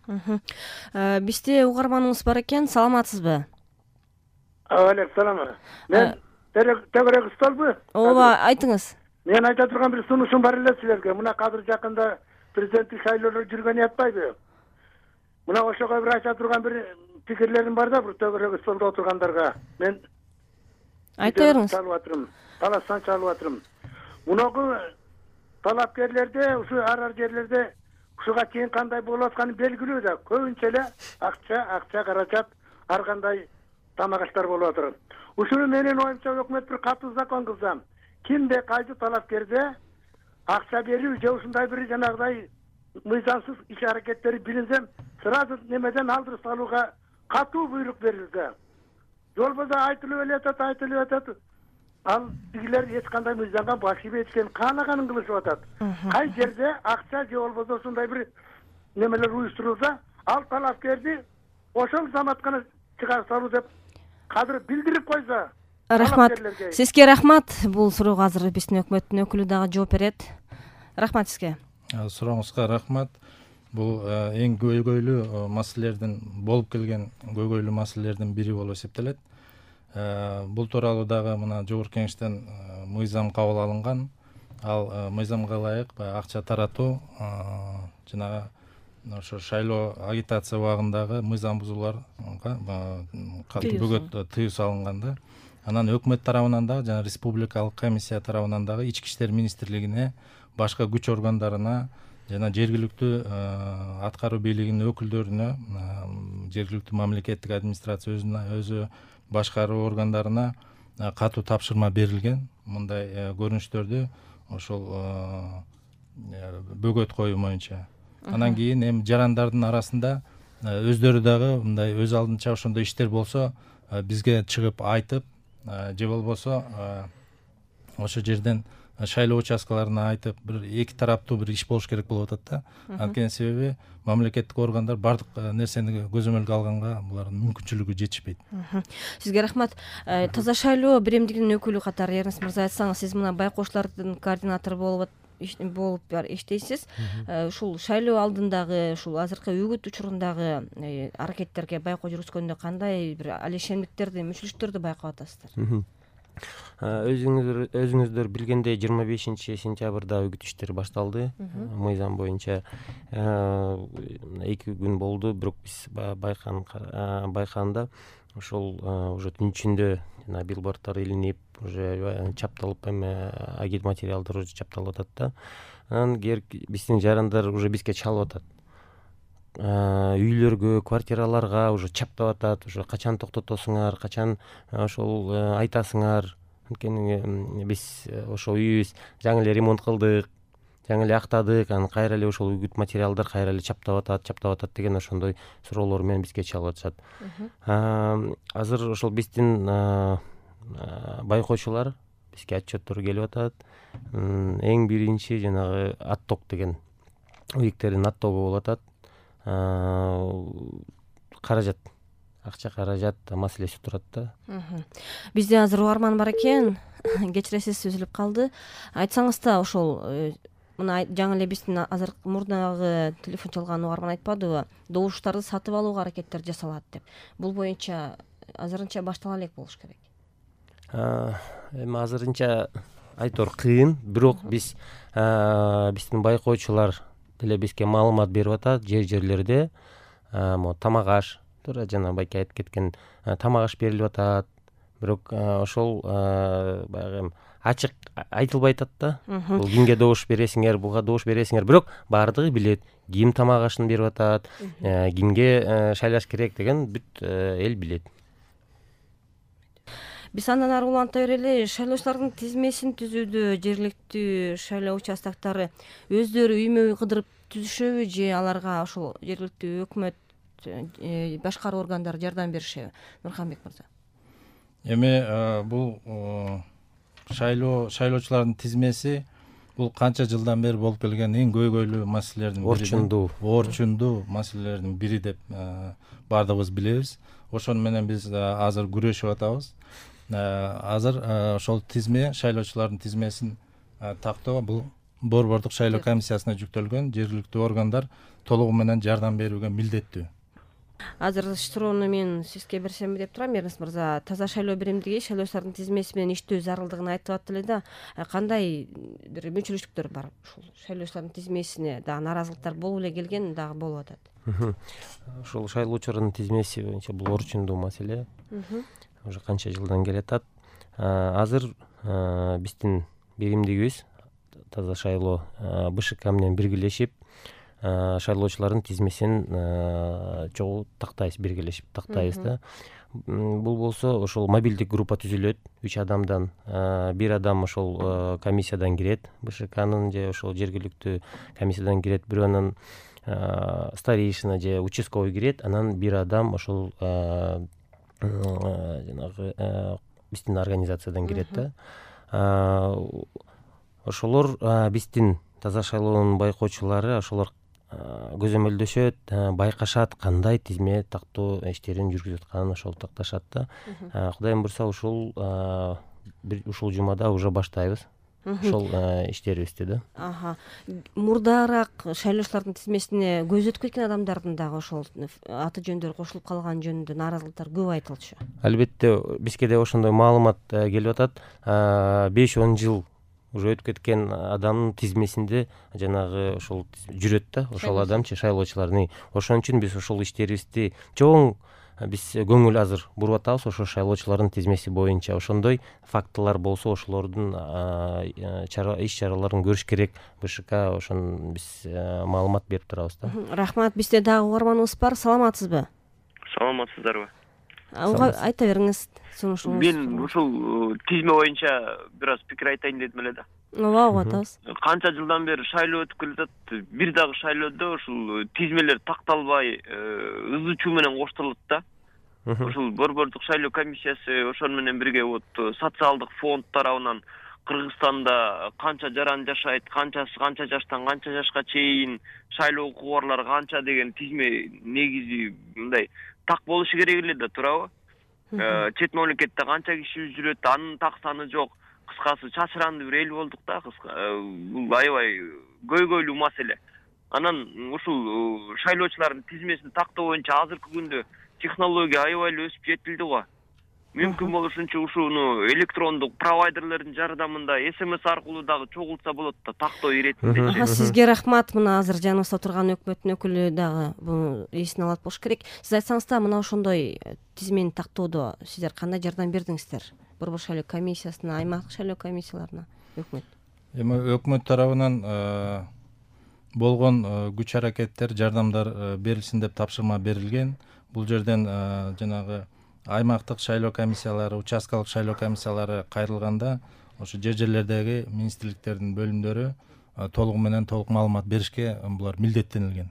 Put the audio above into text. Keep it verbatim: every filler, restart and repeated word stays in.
Бизде угарманыбыз бар экен, саламатсызбы? Алейкум салам. Мен Тегерек Усталбы? Ооба, айтыңыз. Мен айта турган бир сунушум бар эле силерге. Мына азыр жакында президенттик шайлоолор жүргөнү атпайбы? Мына ошого бир айта турган бир пикирлерим бар да, бир Тегерек Усталда отургандарга. Мен айта бериңиз. Чалып атырмын. Таластан чалып атырмын. Мунагы талапкерлерде, ушу ар-ар жерлерде ушуга чейин кандай болуп атканы белгилүү да. Көбүнчө эле акча, акча каражат, ар кандай тамак аштар болуп атат. Ушуну менин оюмча өкмөт бир катуу закон кылса, кимде кайсы талапкерде акча берүү же ушундай бир жанагыдай мыйзамсыз иш аракеттери билинсе, сразу немеден алдырып салууга катуу буйрук берилсе. Жол болсо айтылып эле атат, айтылып атат. Ал тигилер эч кандай мыйзамга баш ийбей эчкен каалаганын кылышып атат. Кай жерде акча же болбосо ушундай бир немелер уюштурулса, ал талапкерди ошол заматкана чыгарып салуу деп кадыр билдирип койсо. Рахмат. Сизге рахмат. Бул суроого азыр биздин өкмөттүн өкүлү дагы жооп берет. Рахмат сизге. Сурооңузга рахмат. Бул эң көйгөйлүү маселелердин болуп келген көйгөйлүү маселелердин бири болуп эсептелет. Бул тууралуу дагы мына жогорку кеңештен мыйзам кабыл алынган. Ал мыйзамга ылайык акча таратуу жана ошо шайлоо агитация убагындагы мыйзам бузууларга бөгөт тыюу салынган да. Анан өкмөт тарабынан дагы жана республикалык комиссия тарабынан дагы Ички иштер министрлигине, башка күч органдарына жана жергиликтүү аткаруу бийлигинин өкүлдөрүнө, жергиликтүү мамлекеттик администрация өзү башкаруу органдарына катуу тапшырма берилген. Мындай көрүнүштөрдү ошол бөгөт коюу боюнча. Анан кийин эми жарандардын арасында өздөрү дагы мындай өз алдынча ошондой иштер болсо бизге чыгып айтып, же болбосо ошо жерден шайлоо участкаларына айтып, бир эки тараптуу бир иш болуш керек болуп атат да. Анткени себеби мамлекеттик органдар бардык нерсени көзөмөлгө алганга булардын мүмкүнчүлүгү жетишпейт. Сизге рахмат. Таза шайлоо биримдигинин өкүлү катары Эрнест мырза, айтсаңыз, сиз мына байкоочулардын координатору болуп болуп иштейсиз. Ушул шайлоо алдындагы, ушул азыркы үгүт учурундагы аракеттерге байкоо жүргүзгөндө кандай бир алешендиктерди, мүчүлүштөрдү байкап атасыздар? Өзүңүздөр өзүңүздөр билгендей жыйырма бешинчи сентябрда үгүт иштери башталды. Мыйзам боюнча эки күн болду, бирок биз байкаганда ошол уже түн ичинде жана билбордтор илинип, уже чапталып, эме агит материалдар уже чапталып атат да. Анан биздин жарандар уже бизге чалып атат. Үйлөргө, квартираларга уже чаптап атат, уже качан токтотосуңар, качан ошол айтасыңар. Анткени биз ошол үйүбүз жаңы эле ремонт кылдык, жаңы эле актадык, анан кайра эле ошол үгүт материалдар кайра эле чаптап атат, чаптап атат деген ошондой суроолор менен бизге чалып атышат. Азыр ошол биздин байкоочулар бизге отчеттор келип атат. Эң биринчи жанагы отток деген үйүктердин оттогу болуп атат. Каражат, акча каражат маселеси турат да. Бизде азыр угарман бар экен. Кечиресиз, үзүлүп калды. Айтсаңыз да, ошол мына жаңы эле биздин азыр мурдагы телефон чалган угарман айтпадыбы? Добуштарды сатып алууга аракеттер жасалат деп. Бул боюнча азырынча баштала элек болуш керек. Эми азырынча айтор кыйын, бирок биз биздин байкоочулар деле бизге маалымат берип атат. Жер-жерлерде могу тамак аш, туура жана байке айтып кеткен тамак аш берилип атат. Бирок ошол баягы ачык айтылбай атат да. Бул кимге добуш бересиңер, буга добуш бересиңер, бирок баардыгы билет. Ким тамак ашын берип атат, кимге шайлаш керек деген бүт эл билет. Биз андан ары уланта берели. Шайлоочулардын тизмесин түзүүдө жергиликтүү шайлоо участоктары өздөрү үймө үй кыдырып түзүшөбү, же аларга ошол жергиликтүү өкмөт, башкаруу органдары жардам беришеби? Нурханбек мырза. Эми бул шайлоо шайлоочулардын тизмеси бул канча жылдан бери болуп келген эң көйгөйлүү маселелердин бири. Орчундуу, орчундуу маселелердин бири деп баардыгыбыз билебиз. Ошону менен биз азыр күрөшүп атабыз. Азыр ошол тизме, шайлоочулардын тизмесин тактоо бул борбордук шайлоо комиссиясына жүктөлгөн жергиликтүү органдар толугу менен жардам берүүгө милдеттүү. Азыр суроону мен сизге берсемби деп турам, Эрнест мырза. Таза шайлоо биримдиги шайлоочулардын тизмеси менен иштөө зарылдыгын айтып аттылы да, кандай бир мүнчүлүштүктөр бар ушул шайлоочулардын тизмесине? Дагы нааразылыктар болуп эле келген, дагы болуп атат. Ушул шайлоочулардын тизмеси боюнча бул орчундуу маселе. Уже канча жылдан келатат. Азыр биздин биримдигибиз Таза шайлоо БШК менен биргелешип шайлоочулардын тизмесин чогуу тактайбыз, биргелешип тактайбыз да. Бул болсо ошол мобилдик группа түзүлөт, үч адамдан. Бир адам ошол комиссиядан кирет, БШКнын же ошол жергиликтүү комиссиядан кирет, бирөөнүн старейшина же участковый кирет, анан бир адам ошол жанагы биздин организациядан кирет да. Ошолор биздин Таза шайлоонун байкоочулары ошолор көзөмөлдөшөт, байкашат, кандай тизме тактоо иштерин жүргүзүп атканын ошол такташат да. Кудайым буйрса ушул ушул жумада уже баштайбыз ошол иштерибизди да. Аха. Мурдараак шайлоочулардын тизмесине көзү өтүп кеткен адамдардын дагы ошол аты жөндөрү кошулуп калган жөнүндө нааразылыктар көп айтылчу. Албетте бизге да ошондой маалымат келип атат. беш он жыл уже өтүп кеткен адамдын тизмесинде жанагы ошол жүрөт да, ошол адамчы шайлоочулардын. Ошон үчүн биз ошол иштерибизди чоң биз көңүл азыр буруп атабыз ошо шайлоочулардын тизмеси боюнча. Ошондой фактылар болсо ошолордун иш чараларын көрүш керек. БШК ошон биз маалымат берип турабыз да. Рахмат. Бизде дагы угарманыбыз бар. Саламатсызбы? Саламатсыздарбы? Айта бериңиз. Мен ушул тизме боюнча бир аз пикир айтайын дедим эле да. Ооба, угуп атабыз. Канча жылдан бери шайлоо өтүп келатат. Бир дагы шайлоодо ушул тизмелер такталбай, ызы чуу менен коштолот да. Ушул борбордук шайлоо комиссиясы ошон менен бирге вот социалдык фонд тарабынан Кыргызстанда канча жаран жашайт, канчасы канча жаштан канча жашка чейин шайлоо укугу барлар канча деген тизме негизи мындай так болушу керек эле да, туурабы? Чет мамлекетте канча киши жүрөт, анын так саны жок. Кыскасы чачырандуу бир эл болдук да, бул аябай көйгөйлүү маселе. Анан ушул шайлоочулардын тизмесин тактоо боюнча азыркы күндө технология аябай эле өсүп жетилди го. Мүмкүн болушунча ушуну электрондук провайдерлердин жардамында эс эм эс аркылуу дагы чогултса болот да, тактоо иретинде. Сизге рахмат. Мына азыр жаныбызда турган өкмөттүн өкүлү дагы буну эсине алат болуш керек. Сиз айтсаңыз да, мына ошондой тизмени тактоодо сиздер кандай жардам бердиңиздер? Борбор шайлоо комиссиясына, аймактык шайлоо комиссияларына, өкмөт. Эми өкмөт тарабынан болгон күч аракеттер, жардамдар берилсин деп тапшырма берилген. Бул жерден жанагы аймактык шайлоо комиссиялары, участкалык шайлоо комиссиялары кайрылганда ошо жер жерлердеги министрликтердин бөлүмдөрү толугу менен толук маалымат беришке булар милдеттенилген.